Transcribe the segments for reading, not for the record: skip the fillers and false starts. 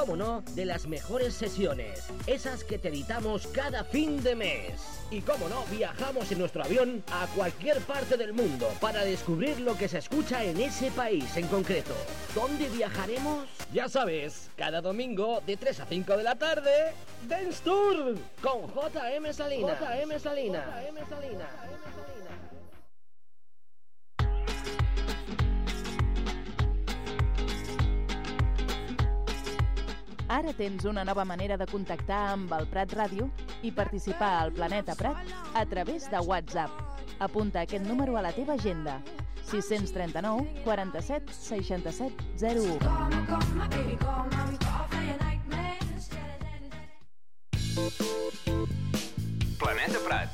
como no, de las mejores sesiones, esas que te editamos cada fin de mes. Y como no, viajamos en nuestro avión a cualquier parte del mundo para descubrir lo que se escucha en ese país en concreto. ¿Dónde viajaremos? Ya sabes, cada domingo de 3 a 5 de la tarde, Dance Tour con JM Salinas. JM Salinas. JM Salinas. Ara tens una nova manera de contactar amb el Prat Ràdio i participar al Planeta Prat a través de WhatsApp. Apunta aquest número a la teva agenda: 639 47 67 01. Planeta Prat.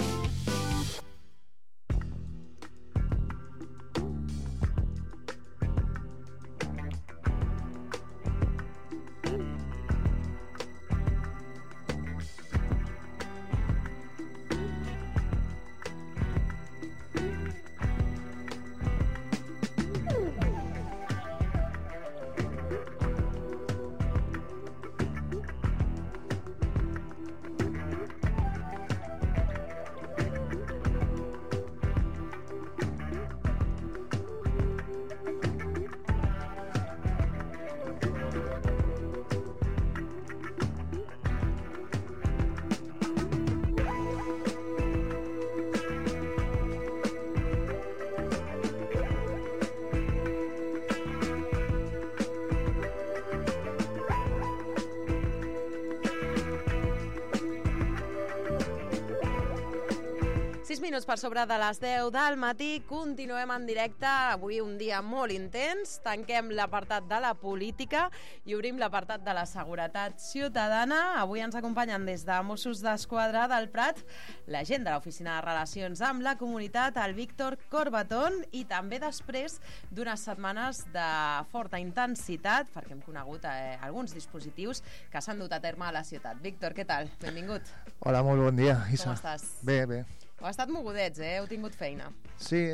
Minuts per sobre de les 10 del matí, continuem en directe. Avui un dia molt intens, tanquem l'apartat de la política i obrim l'apartat de la seguretat ciutadana. Avui ens acompanyen des de Mossos d'Esquadra del Prat l'agent de l'Oficina de Relacions amb la Comunitat, el Víctor Corbatón, i també després d'unes setmanes de forta intensitat, perquè hem conegut alguns dispositius que s'han dut a terme a la ciutat. Víctor, què tal? Benvingut. Hola, molt bon dia, Isa. Com estàs? Bé, bé. Heu estat mogudets, heu tingut feina. Sí,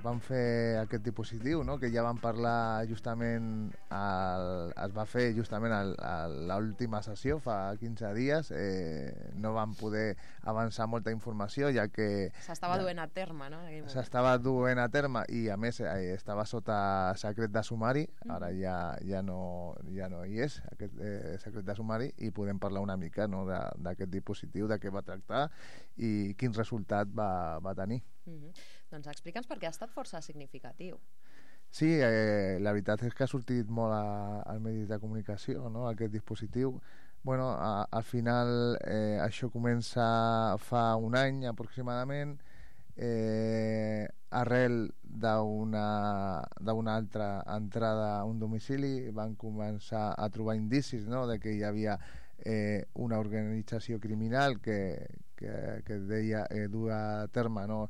vam fer aquest dispositiu, no? Que ja vam parlar justament, es va fer justament a l'última sessió, fa 15 dies. No vam poder avançar molta informació, ja que... S'estava duent a terme, no? S'estava duent a terme i, a més, estava sota secret de sumari. Ara ja no hi és, aquest secret de sumari, i podem parlar una mica, no, d'aquest dispositiu, de què va tractar i quin resultat va tenir. Doncs explica'ns, perquè ha estat força significatiu. Sí, la veritat és que ha sortit molt als medis de comunicació, no?, aquest dispositiu. Bueno, al final això comença fa un any aproximadament, arrel d'una altra entrada a un domicili van començar a trobar indicis, no?, de que hi havia una organització criminal que deia dur a terme, no,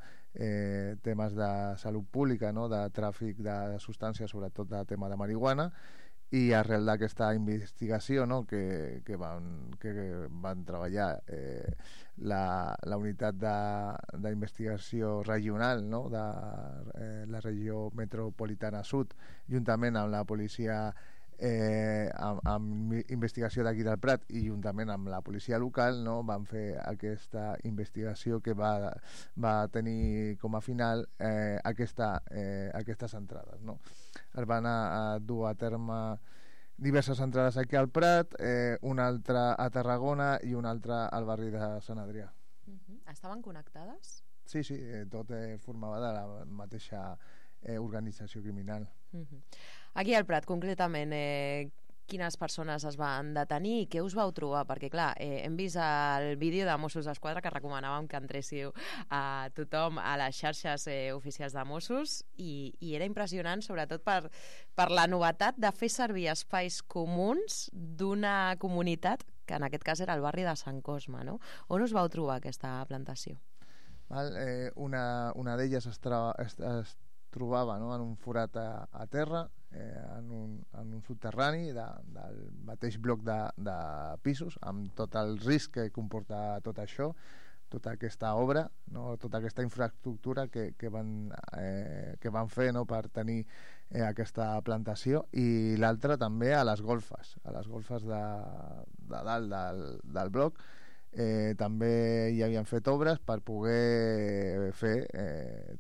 temes de salut pública, no, de tràfic de substàncies, sobretot de tema de marihuana, i arrel d'aquesta investigació, no, que van treballar la unitat d'investigació regional, no, de la regió metropolitana sud, juntament amb la policia amb investigació d'aquí del Prat i juntament amb la policia local, no, van fer aquesta investigació que va tenir com a final aquestes entrades, no. Es van dur a terme diverses entrades aquí al Prat, una altra a Tarragona i una altra al barri de Sant Adrià. Estaven connectades? Sí, tot formava de la mateixa organització criminal. Aquí al Prat, concretament, quines persones es van detenir i què us vau trobar? Perquè, clar, hem vist el vídeo de Mossos d'Esquadra que recomanàvem que entréssiu a tothom a les xarxes oficials de Mossos i era impressionant, sobretot per la novetat de fer servir espais comuns d'una comunitat que en aquest cas era el barri de Sant Cosme, no? On us vau trobar aquesta plantació? Una d'elles es trobava, no, en un forat a terra, en un subterrani del mateix bloc de pisos, amb tot el risc que comporta tot això, tota aquesta obra, no, tota aquesta infraestructura que van fer, no, per tenir aquesta plantació, i l'altra també a les golfes de dalt del bloc. També hi havien fet obres per poder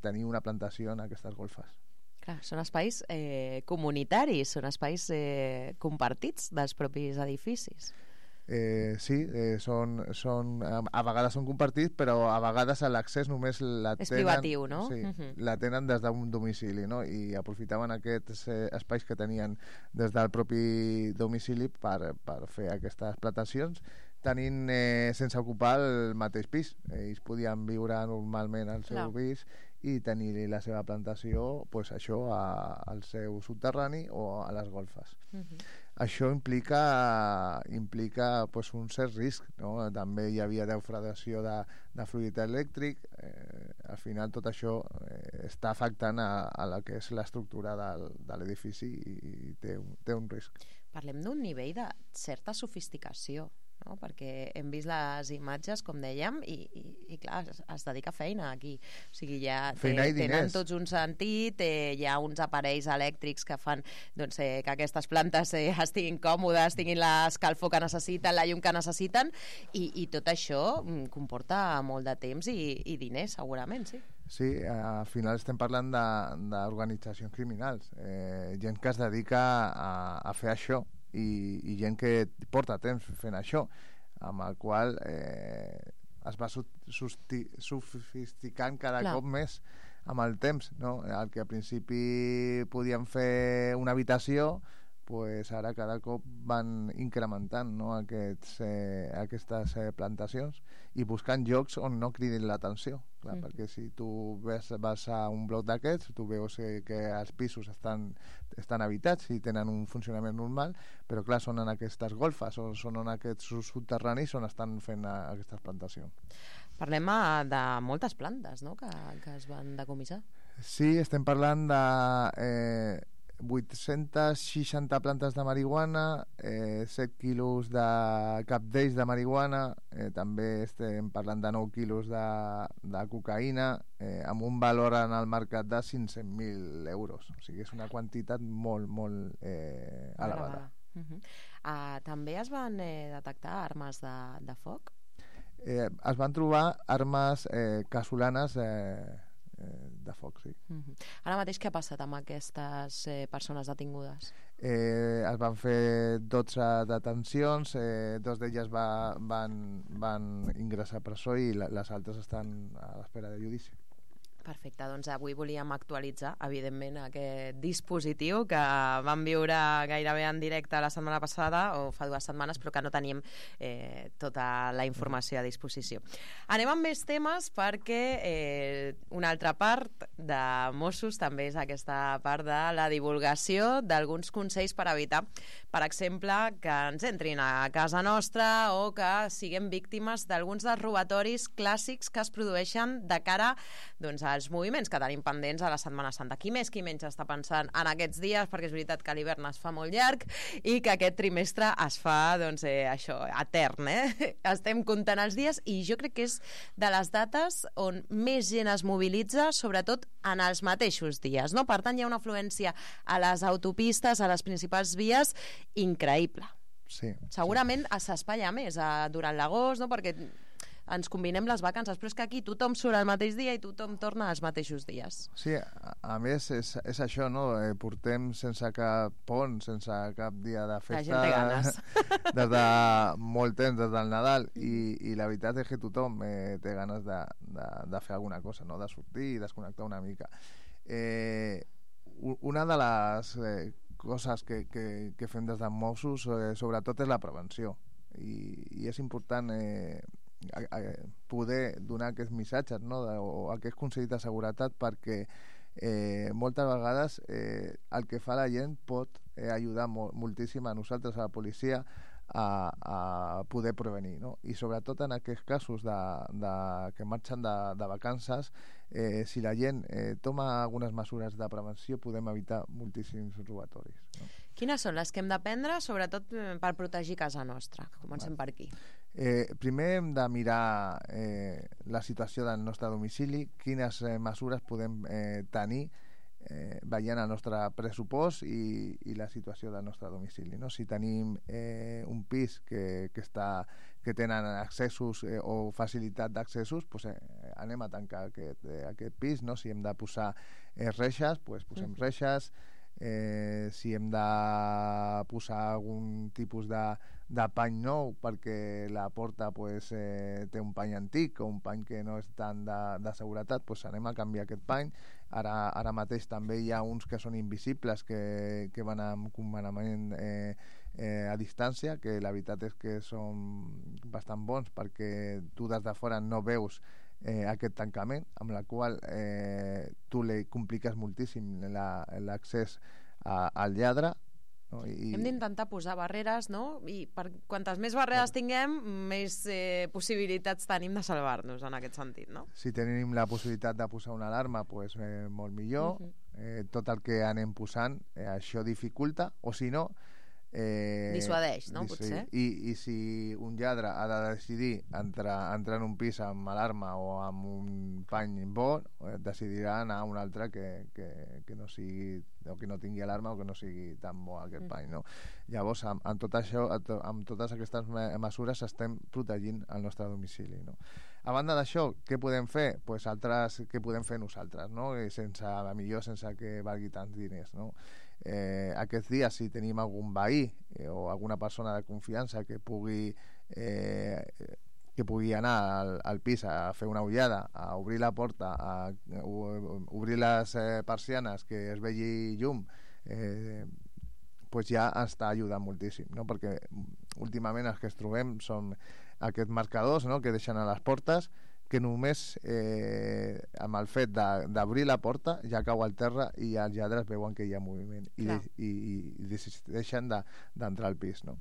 tenir una plantació en aquestes golfes. Clar, són espais comunitaris, són espais compartits dels propis edificis. Sí, a vegades són compartits, però a vegades l'accés només la tenen... És privatiu, no? Sí, la tenen des d'un domicili, no? I aprofitaven aquests espais que tenien des del propi domicili per fer aquestes plantacions, tenint sense ocupar el mateix pis. Ells podien viure normalment al seu pis i tenir la seva plantació, pues, això, al seu subterrani o a les golfes. Això implica pues, un cert risc, no? També hi havia defraudació de fluid elèctric. Al final tot això està afectant a la que és l'estructura de l'edifici i té un risc. Parlem d'un nivell de certa sofisticació, no? Perquè hem vist les imatges, com dèiem, i clar, es dedica feina aquí. O sigui, ja tenen tots un sentit, hi ha uns aparells elèctrics que fan que aquestes plantes estiguin còmodes, tinguin l'escalfor que necessiten, la llum que necessiten, i tot això comporta molt de temps i diners, segurament, sí. Sí, al final estem parlant d'organitzacions criminals, gent que es dedica a fer això, i gent que porta temps fent això, amb el qual es va sofisticant cada cop més amb el temps, no? El que al principi podien fer una habitació, pues ara cada cop van incrementant, no? Aquestes plantacions i buscant llocs on no cridin l'atenció. Clar, perquè si tu vas a un bloc d'aquests, tu veus que els pisos estan habitats i tenen un funcionament normal, però clar, són en aquestes golfes o són en aquests subterranis on estan fent aquestes plantacions. Parlem de moltes plantes, no?, que es van decomissar. Sí, estem parlant de 860 plantes de marihuana, 7 quilos de capdells de marihuana, també estem parlant de 9 quilos de cocaïna, amb un valor en el mercat de 500.000 euros. O sigui, és una quantitat molt, molt elevada. També es van detectar armes de foc? Es van trobar armes casolanes de foc, sí. Ara mateix què ha passat amb aquestes persones detingudes? Es van fer 12 detencions, 2 d'elles van ingressar a presó i les altres estan a l'espera de judici. Perfecte, doncs avui volíem actualitzar, evidentment, aquest dispositiu que vam viure gairebé en directe la setmana passada, o fa 2 setmanes, però que no teníem tota la informació a disposició. Anem amb més temes perquè una altra part de Mossos també és aquesta part de la divulgació d'alguns consells per evitar, per exemple, que ens entrin a casa nostra o que siguem víctimes d'alguns dels robatoris clàssics que es produeixen de cara als moviments que tenim pendents a la Setmana Santa. Qui més, qui menys està pensant en aquests dies, perquè és veritat que l'hivern es fa molt llarg i que aquest trimestre es fa, això, etern, Estem comptant els dies i jo crec que és de les dates on més gent es mobilitza, sobretot en els mateixos dies, no? Per tant, hi ha una afluència a les autopistes, a les principals vies, increïble. Sí. Segurament s'espatlla més durant l'agost, no? Perquè ens combinem les vacances, però és que aquí tothom surt el mateix dia i tothom torna als mateixos dies. Sí, a més és això, no? Portem sense cap pont, sense cap dia de festa. La gent té ganes. Des de molt temps, des del Nadal, i la veritat és que tothom té ganes de fer alguna cosa, no? De sortir i desconnectar una mica. Una de les coses que fem des de Mossos sobretot és la prevenció, i és important poder donar aquests missatges, no? O aquests consells de seguretat, perquè moltes vegades el que fa la gent pot ajudar moltíssim a nosaltres, a la policia, a poder prevenir, no? I sobretot en aquests casos que marxen de vacances, si la gent toma algunes mesures de prevenció, podem evitar moltíssims robatoris, no? Quines són les que hem de prendre, sobretot per protegir casa nostra? Comencem per aquí. Primer hem de mirar la situació del nostre domicili, quines mesures podem tenir veient el nostre pressupost i la situació del nostre domicili, no? Si tenim un pis que tenen accessos o facilitat d'accessos, pues, anem a tancar aquest pis, no? Si hem de posar reixes, pues, posem reixes. Si hem de posar algun tipus de pany nou perquè la porta pues, té un pany antic o un pany que no és tant de seguretat, pues anem a canviar aquest pany. Ara mateix també hi ha uns que són invisibles que van amb comandament a distància, que la veritat és que són bastant bons perquè tu des de fora no veus aquest tancament, amb la qual tu li compliques moltíssim l'accés al lladre, no? Hem d'intentar posar barreres, no? I quantes més barreres tinguem, més possibilitats tenim de salvar-nos en aquest sentit, no? Si tenim la possibilitat de posar una alarma, pues, molt millor. Tot el que anem posant, això dificulta, o si no dissuadeix, no? Potser. I si un lladre ha de decidir entrar en un pis amb alarma o amb un pany bo, decidirà anar a un altre que no sigui, o que no tingui alarma o que no sigui tan bo aquest pany, no? Llavors, amb tot això, amb totes aquestes mesures estem protegint el nostre domicili, no? A banda d'això, què podem fer? Pues què podem fer nosaltres, no? Millor sense que valgui tants diners, no? Aquests dies, si tenim algun veí o alguna persona de confiança que pugui anar al pis a fer una ullada, a obrir la porta, a obrir les persianes, que es vegi llum, pues ja està ajudant moltíssim, no? Perquè últimament els que es trobem són aquests marcadors, no?, que deixen a les portes, que només amb el fet d'obrir la porta ja cau al terra i els lladres veuen que hi ha moviment i decideixen d'entrar al pis, no?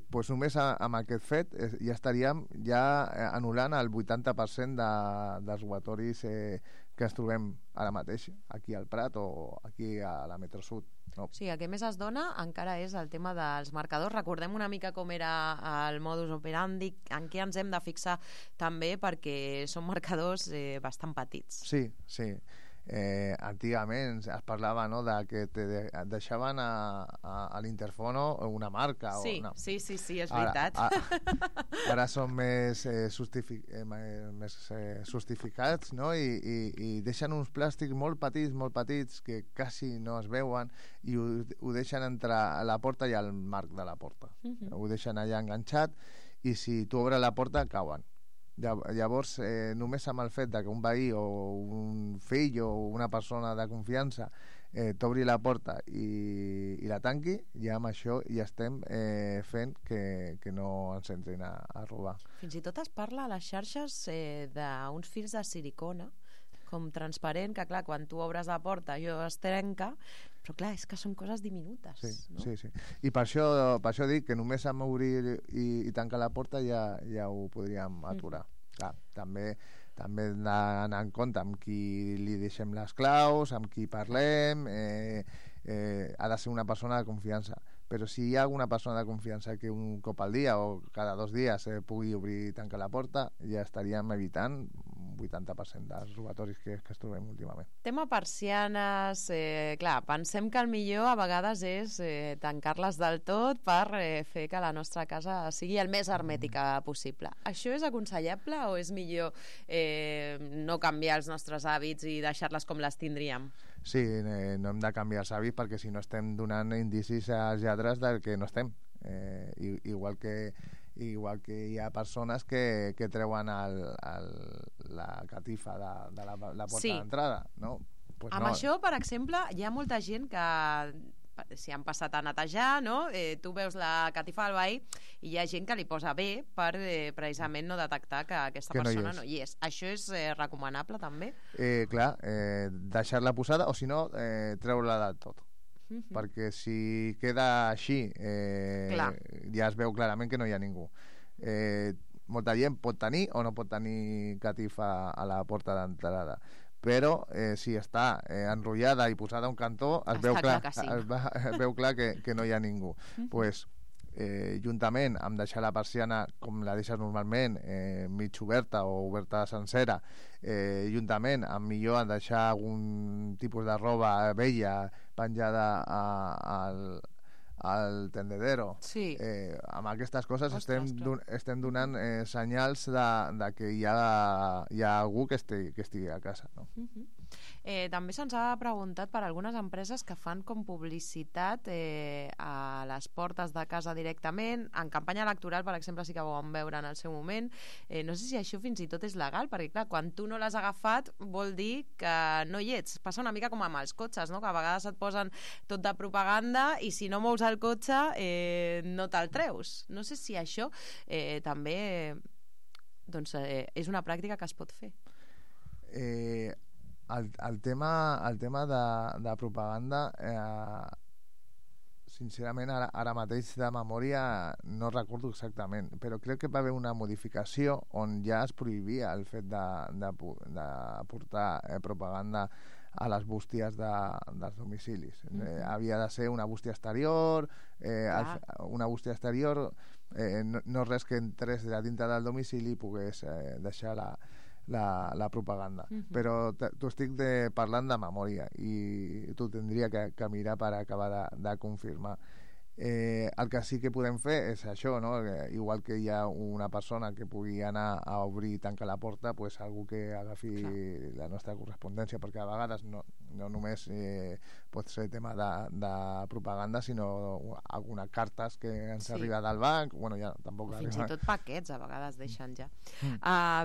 Pues només amb aquest fet ja estaríem anul·lant el 80% dels robatoris que ens trobem ara mateix aquí al Prat o aquí a la Metro Sud, no? Sí, el que més es dona encara és el tema dels marcadors. Recordem una mica com era el modus operandi, en què ens hem de fixar també, perquè són marcadors bastant petits. Sí. Antigament es parlava, no?, de que deixaven a l'interfono una marca. Sí, o no. Sí, és veritat. Ara són més justificats, no?, i deixen uns plàstics molt petits que quasi no es veuen i ho deixen entre la porta i el marc de la porta. Ho deixen allà enganxat i si tu obres la porta cauen. Llavors, només amb el fet que un veí o un fill o una persona de confiança t'obri la porta i la tanqui, ja amb això ja estem fent que no ens entrin a robar. Fins i tot es parla a les xarxes d'uns fils de silicona com transparent, que clar, quan tu obres la porta allò es trenca, però clar, és que són coses diminutes, no? Sí. I per això dic que només amb obrir i tancar la porta ja ho podríem aturar. Clar, també anar en compte amb qui li deixem les claus, amb qui parlem, ha de ser una persona de confiança. Però si hi ha alguna persona de confiança que un cop al dia o cada 2 dies pugui obrir i tancar la porta, ja estaríem evitant un 80% dels robatoris que es trobem últimament. Tema persianes, clar, pensem que el millor a vegades és tancar-les del tot per fer que la nostra casa sigui el més hermètica possible. Això és aconsellable o és millor no canviar els nostres hàbits i deixar-les com les tindríem? Sí, no hem de canviar els hàbits perquè si no estem donant indicis als lladres del que no estem. Igual que hi ha persones que treuen la catifa de la porta d'entrada, no? Pues amb això, per exemple, hi ha molta gent que si han passat a netejar, no? Tu veus la catifa del veí i hi ha gent que li posa bé per precisament no detectar que aquesta persona no hi és. Això és recomanable també? Clar, deixar-la posada o si no, treure-la del tot. Perquè si queda així ja es veu clarament que no hi ha ningú. Molta gent pot tenir o no pot tenir catifa a la porta d'entrada, però si està enrotllada i posada a un cantó es veu clar que no hi ha ningú. Pues juntament amb deixar la persiana com la deixes normalment, mig oberta o oberta sencera, juntament amb millor deixar algun tipus de roba vella penjada al tendedero. Sí. Amb aquestes coses Ostres, estem donant senyals de que hi ha algú que estigui a casa, no? També se'ns ha preguntat per algunes empreses que fan com publicitat a les portes de casa directament. En campanya electoral, per exemple, sí que ho vam veure en el seu moment. No sé si això fins i tot és legal, perquè clar, quan tu no l'has agafat vol dir que no hi ets. Passa una mica com amb els cotxes, no? Que a vegades et posen tot de propaganda i si no mous el cotxe no te'l treus. No sé si això també doncs, és una pràctica que es pot fer. El tema de propaganda, sincerament ara mateix de memòria no recordo exactament, però crec que va haver una modificació on ja es prohibia el fet de portar propaganda a les bústies dels domicilis. Havia de ser una bústia exterior, una bústia exterior, no res que entrés de dintre del domicili i pogués deixar la propaganda. Però t'ho estic parlant de memòria i t'ho tindria que mirar per acabar de confirmar. El que sí que podem fer és això, no? Igual que hi ha una persona que pugui anar a obrir i tancar la porta, pues algú que agafi la nostra correspondència, perquè a vegades no només pot ser tema de propaganda, sinó algunes cartes que ens arriba del banc, bueno, ja tampoc... Fins i tot paquets a vegades deixen ja.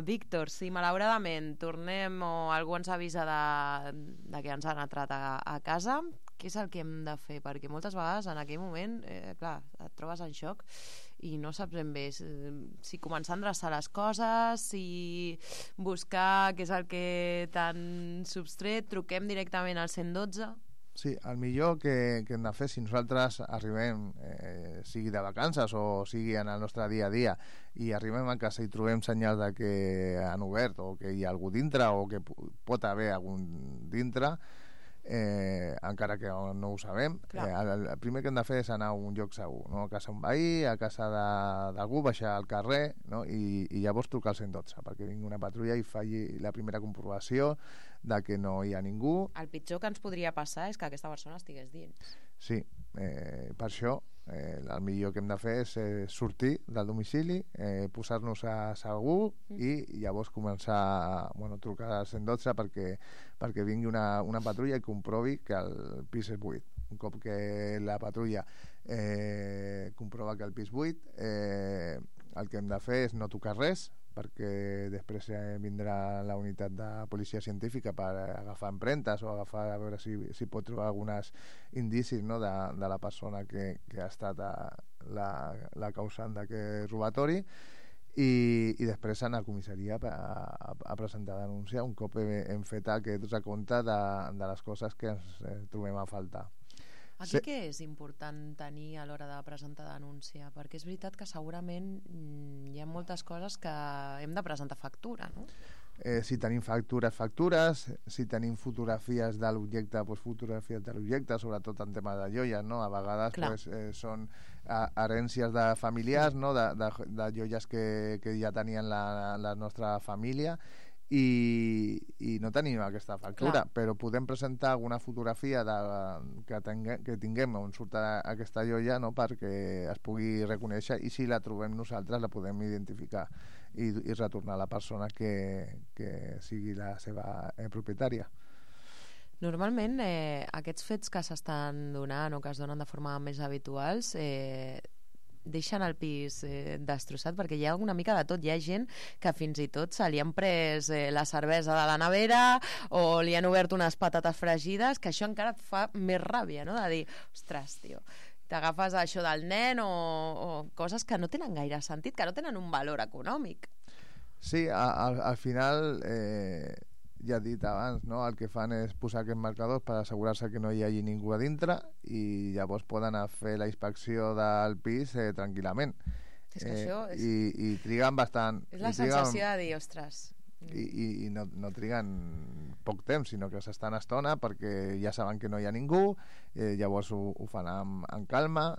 Víctor, si malauradament tornem o algú ens avisa de que ens han entrat a casa, què és el que hem de fer? Perquè moltes vegades en aquell moment, clar, et trobes en xoc i no saps ben bé si començar a endreçar les coses, si buscar què és el que t'han substret, truquem directament al 112. Sí, el millor que hem de fer si nosaltres arribem, sigui de vacances o sigui en el nostre dia a dia, i arribem a casa i trobem senyals de que han obert o que hi ha algú dintre o que pot haver algun dintre, encara que no ho sabem, el primer que hem de fer és anar a un lloc segur, no? A casa d'un veí, a casa d'algú, baixar al carrer, no? I llavors trucar al 112 perquè vingui una patrulla i faci la primera comprovació de que no hi ha ningú. El pitjor que ens podria passar és que aquesta persona estigués dins. Sí, per això el millor que hem de fer és sortir del domicili, posar-nos a segur i llavors començar a trucar al 112 perquè vingui una patrulla i comprovi que el pis és buit. Un cop que la patrulla comprova que el pis és buit, el que hem de fer és no tocar res, perquè després vindrà la unitat de policia científica per agafar empremtes o agafar a veure si pot trobar alguns indicis, no, de la persona que ha estat la causant d'aquest robatori, i després anar a comissaria a presentar denúncia un cop hem fet aquest recompte de les coses que ens trobem a faltar. Aquí què és important tenir a l'hora de presentar denúncia? Perquè és veritat que segurament hi ha moltes coses que hem de presentar factura, no? Si tenim factures, si tenim fotografies de l'objecte, fotografies de l'objecte, sobretot en tema de joies, no? A vegades són herències de familiars, no? De joies que ja tenien la nostra família, i no tenim aquesta factura, però podem presentar alguna fotografia que tinguem on surt aquesta joia, no? Perquè es pugui reconèixer, i si la trobem nosaltres la podem identificar i retornar a la persona que sigui la seva propietària. Normalment aquests fets que s'estan donant o que es donen de forma més habituals deixen el pis destrossat, perquè hi ha una mica de tot. Hi ha gent que fins i tot se li han pres la cervesa de la nevera o li han obert unes patates fregides, que això encara et fa més ràbia, no? De dir, ostres, tio, t'agafes això del nen o coses que no tenen gaire sentit, que no tenen un valor econòmic. Sí, al final ja he dit abans, no? El que fan és posar aquests marcadors per assegurar-se que no hi hagi ningú a dintre, i llavors poden anar a fer la inspecció del pis tranquil·lament. És que això és... I triguen bastant. És la sensació de dir, ostres... I no triguen poc temps, sinó que s'estan estona perquè ja saben que no hi ha ningú, llavors ho fan amb calma,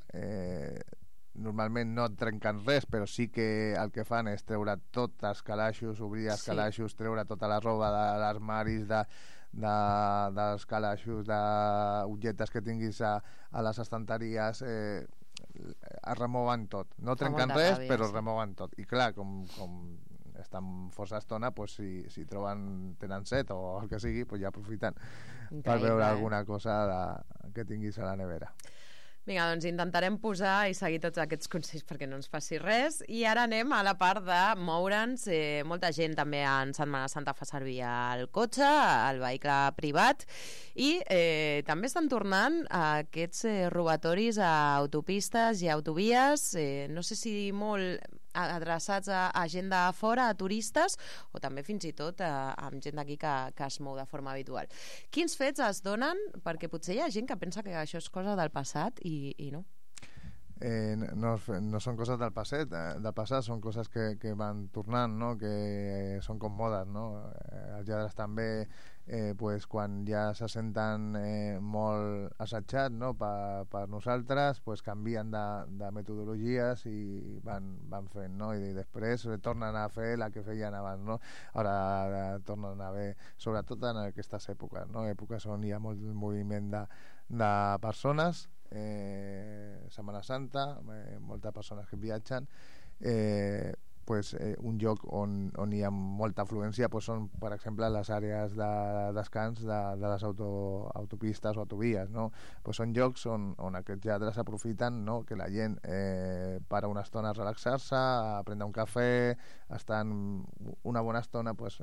normalment no et trenquen res, però sí que el que fan és treure tots els calaixos, obrir els calaixos, treure tota la roba de l'armaris, dels calaixos, d'objectes que tinguis a les estanteries, es remouen tot. No trenquen res, però es remouen tot. I clar, com estan força estona, pues, si tenen set o el que sigui, pues ja aprofiten per veure alguna cosa que tinguis a la nevera. Vinga, doncs intentarem posar i seguir tots aquests consells perquè no ens passi res. I ara anem a la part de moure'ns. Molta gent també en Setmana Santa fa servir el cotxe, el vehicle privat, i també estan tornant aquests robatoris a autopistes i autovies, no sé si molt adreçats a gent de fora, a turistes, o també fins i tot amb gent d'aquí que es mou de forma habitual. Quins fets es donen? Perquè potser hi ha gent que pensa que això és cosa del passat i no. No són coses del passat, són coses que van tornant, no? Que són com modes, no? Els lladres també, pues, quan ja se senten molt assetjats, no? per nosaltres, pues, canvien de metodologies i van fent, no? I després tornen a fer la que feien abans, no? Ara tornen a haver, sobretot en aquestes èpoques, no? Èpoques on hi ha molt moviment de persones, Setmana Santa, moltes persones que viatgen, pues, un lloc on hi ha molta afluència, pues, són, per exemple, les àrees de descans de les autopistes o autovies, no? Pues són llocs on aquests lladres aprofiten, no? Que la gent para una estona a relaxar-se, a prendre un cafè, estan una bona estona, pues,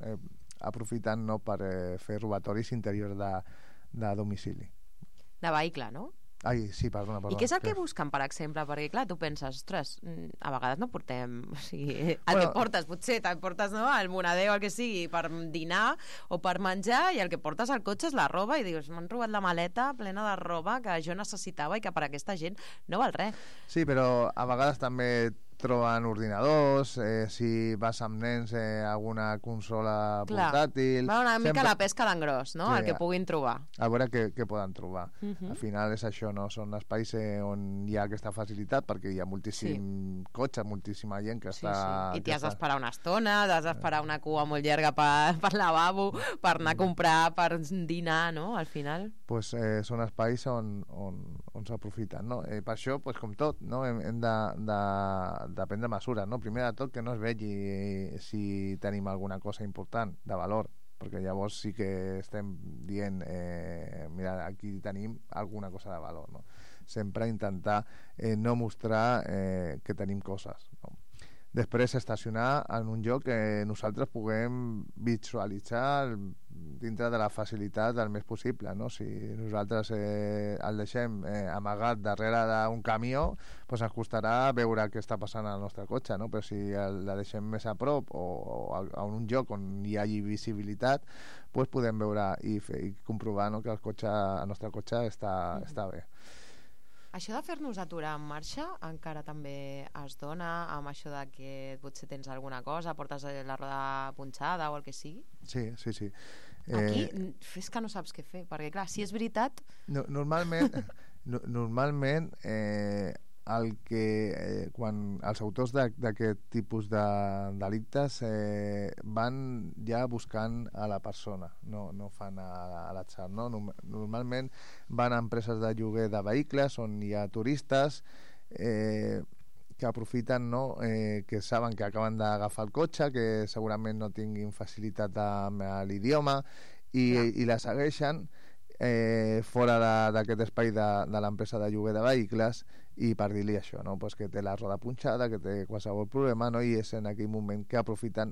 aprofitant, no? Per fer robatoris interiors de domicili. De vehicle, no? Ai, sí, perdona. I què és el que busquen, per exemple? Perquè, clar, tu penses, ostres, a vegades no portem... O sigui, que portes, potser te'n portes, no?, el moneder o el que sigui per dinar o per menjar, i el que portes al cotxe és la roba, i dius, m'han robat la maleta plena de roba que jo necessitava i que per aquesta gent no val res. Sí, però a vegades també troben ordinadors, si vas amb nens, alguna consola portàtil... Va una mica la pesca d'engròs, no?, el que puguin trobar. A veure què poden trobar. Al final és això, no? Són espais on hi ha aquesta facilitat, perquè hi ha moltíssim cotxe, moltíssima gent que està... I t'hi has d'esperar una estona, t'has d'esperar una cua molt llarga per lavabo, per anar a comprar, per dinar, no?, al final. Pues són espais on s'aprofiten, no? Per això, pues, com tot, no? Hem de prendre mesures, no? Primer de tot, que no es vegi si tenim alguna cosa important de valor, perquè llavors sí que estem dient mira, aquí tenim alguna cosa de valor, no? Sempre intentar no mostrar que tenim coses, no? Després estacionar en un lloc que nosaltres puguem visualitzar dintre de la facilitat el més possible, no? Si nosaltres el deixem amagat darrere d'un camió, pues ens costarà veure què està passant al nostre cotxe, no? Però si la deixem més a prop o en un lloc on hi hagi visibilitat, pues podem veure i comprovar, no?, que el nostre cotxe està bé. Això de fer-nos aturar en marxa encara també es dona amb això de que potser tens alguna cosa, portes la roda punxada o el que sigui? Sí. Aquí és que no saps què fer, perquè clar, si és veritat... Normalment quan els autors d'aquest tipus de delictes van ja buscant a la persona, no fan a l'atzar, no? Normalment van a empreses de lloguer de vehicles on hi ha turistes que aprofiten, no? Que saben que acaben d'agafar el cotxe, que segurament no tinguin facilitat amb l'idioma i la segueixen fora d'aquest espai de l'empresa de lloguer de vehicles, i per dir-li això, no? Pues que té la roda punxada, que té qualsevol problema, no? I és en aquell moment que aprofiten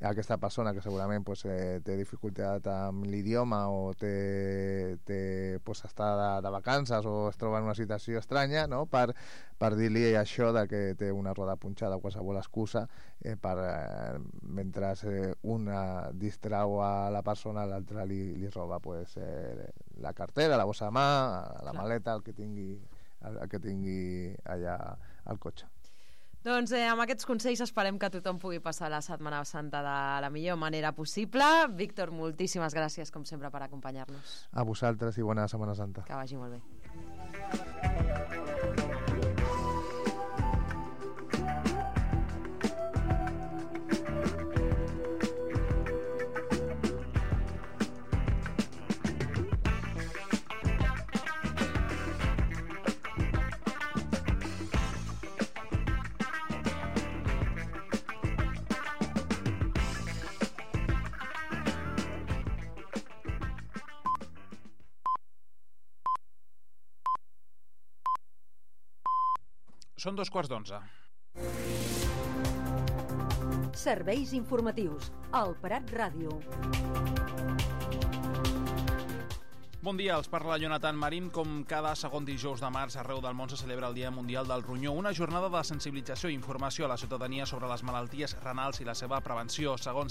aquesta persona que segurament pues, té dificultat amb l'idioma o pues, està de vacances o es troba en una situació estranya, no? Per dir-li això de que té una roda punxada o qualsevol excusa mentre una distrau a la persona, l'altra li roba pues, la cartera, la bossa de mà, la maleta, el que tingui allà al cotxe. Doncs amb aquests consells esperem que tothom pugui passar la Setmana Santa de la millor manera possible. Víctor, moltíssimes gràcies, com sempre, per acompanyar-nos. A vosaltres i bona Setmana Santa. Que vagi molt bé. Són 11:15. Serveis informatius. El Prat Ràdio. Bon dia, els parla Jonathan Marín. Com cada segon dijous de març, arreu del món se celebra el Dia Mundial del Ronyó, una jornada de sensibilització i informació a la ciutadania sobre les malalties renals i la seva prevenció. Segons